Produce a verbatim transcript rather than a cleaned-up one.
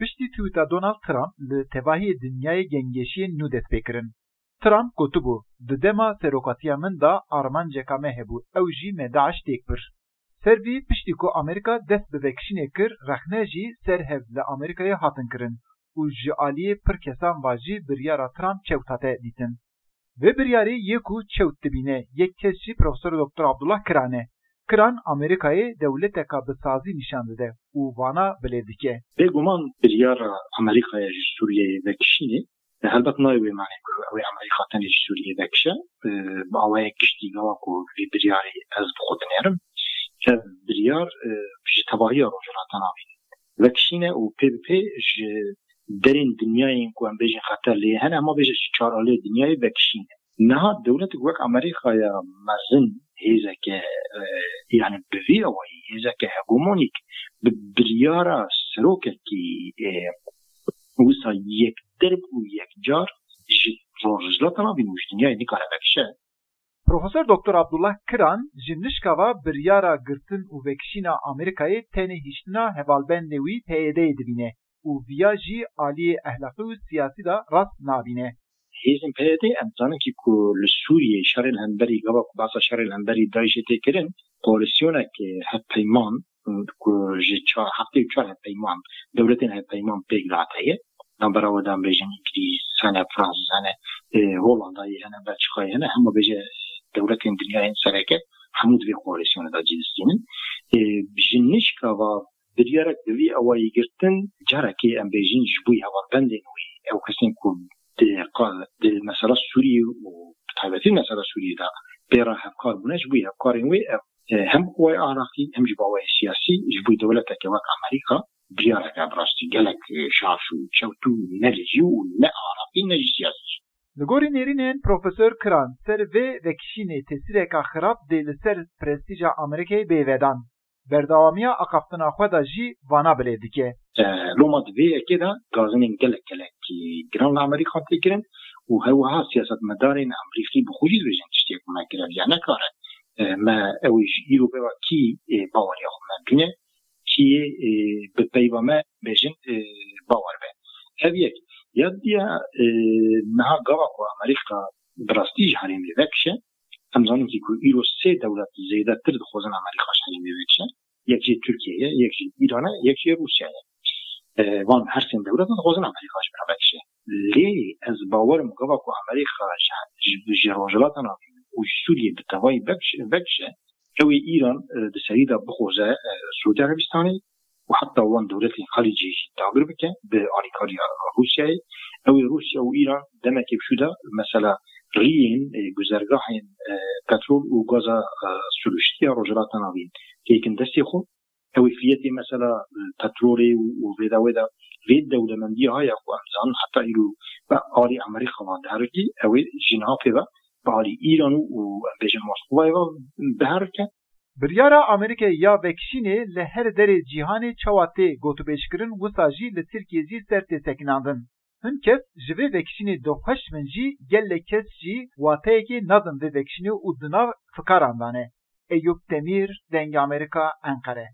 Piştî tweeta Donald Trump li tevahiyê dinyayê gengeşiyên nû dest pê kirin. Trump gotibû, di dema serokatiya min de armanceka me hebû, ew jî me DAIŞ têk bir. Ser vî, piştî ku Amerîka dest bi vekişînê kir, rexne jî ser hev li Amerîkayê hatin kirin û ji aliyê pir kesan ve jî biryara Trump çewt hate dîtin. Vê biryarê yê ku çewt dibîne, yek kes jî Profesor Doktor Abdullah Kiran e. Kiran Amerîkayê dewleteka bi sazî nîşan dide û vana bilêv dike. Bêguman biryara Amerîkaya ji Sûriyeyê vekişînê, e, helbet nayê wê manê ku ew ê Amerîka tenê ji Sûriyeyê vekişe. E, bi awayek giştî gava ku vî biryarê ez bi xwe dinêrim. Ev biryar, e, ji tevahiya Rojhilata Navîn vekişîne û pê bi pê ji derên dinyayên ku em bêjin xeter lê hene, hema bêje ji çar aliyê dinyayê vekişîne. Niha dewletek wek Amerîkaya mezin hêzeke, e, yani bi vî awayî hêzeke hegemonîk bi biryara serokekî, e, wisa yekderb û yekcar ji Rojhilata Navîn û ji dinyayê nikare vekişe. Profesor Doktor Abdullah Kiran ji nişka ve biryara girtin û vekişîna Amerîkayê tenê hiştina hevalbendê wî P Y D'yê dibîne û viya jî aliyê ehlaqî û siyasî de rast nabîne. Hêzên P Y D, em zanin ki ku li Sûriyê şerê li hemberî, gava ku behsa şerê li hemberî DAIŞê tê kirin, koalîsyonek hevpeyman, ku ji çar, heftê û çar hevpeyman, dewletên hevpeyman pêk dihat heye. Navbera we de em bêjin Îngilîz hene, Fransîz hene, e, Holandayê hene, Belçîkayê hene, hema bêje dewletên dinyayên sereke hemû di vê koalîsyonê de cî distînin. E, ji nişka va biryarek bi vî awayî girtin, carekê em bêjin ji bo hevalbendên wî, ew kesên ku di qa-, di mesela Sûriyê û bi taybetî mesela Sûriyê de pê re hevkar bûne, ji bo hevkarên wê ev, e, hem bi awayê ahlaqî hem jî bi awayê siyasî ji bo dewleteke wek Amerîka biryareke bi rastî gelek, e, şaş û çewt û ne li jî û ne ahlaqî ne jî siyasî. Li gorî nêrînên Profesor Kiran, ser vê vekişînê tesîreka xirab dê li ser prestîja Amerîkayê bê vedan. Berdewamiya axaftina xwe de jî vana bilêv dike. E, loma di vê yekê de gazinên gelek gelek giran li Amerîka tê kirin û her wiha siyasetmedarên Amerîkî bi xwe jî dibêjin tiştê ku me kir ev ya nekare. E, me ew ê ji îro pê ve kî, e, baweriya xwe me bîne, kî yê, e, bi peyva me bêjin, e, bawer be. Ev yek. Ya diya, e, niha gava ku Amerîka bi rastî ji herêmê vekişe, em zanin ki ku îro sê dewlet zêdetir dixwazin Amerîka ji herêmê vekişe. Yek jî Tirkiye ye, yek jî Îran e, yek jî Rûsya ye. E, van her sê dewlet dixwazin Amerîka ji bira vekişe. Lê ez bawerim gava ku Amerîka ji, ji, ji Rojhilata Navîn û ji Sûriyê bi tevayî vekişe, vekişe, ew ê Îran, e, di serî de bixwaze, e, Sûdî Erebistanê û heta wan dewletên Xelîcê jî dagir bike bi alîkariya Rûsyayê. Ew ê Rûsya û Îran demekê bi şû de mesela riyên, e, guzergahên, e, petrol û gaza, e, siruştî ya Rojhilata Navîn têkin destê xwe. Ew ê fiyetê mesela, e, petrolê û, û vêda wêda vê dewlemendiyê haya ku em zanin heta îro bi alî Amerîka ve diherikî, ew ê ji niha pê ve bi alî Îran û, û em bêjin Moskowayê ve biherike. Biryara Amerîkayê ya vekişînê li her derê cîhanê çawa tê gotûbêjkirin, wisa jî li Tirkiyê jî ser tê sekinandin. Hin kes ji vê vekişînê dixweş bin jî gelek kes jî wateyekê nadin vê vekişînê û di nav fikaran de ne. Eyûp Demîr, Dengê Amerîka, Enqere.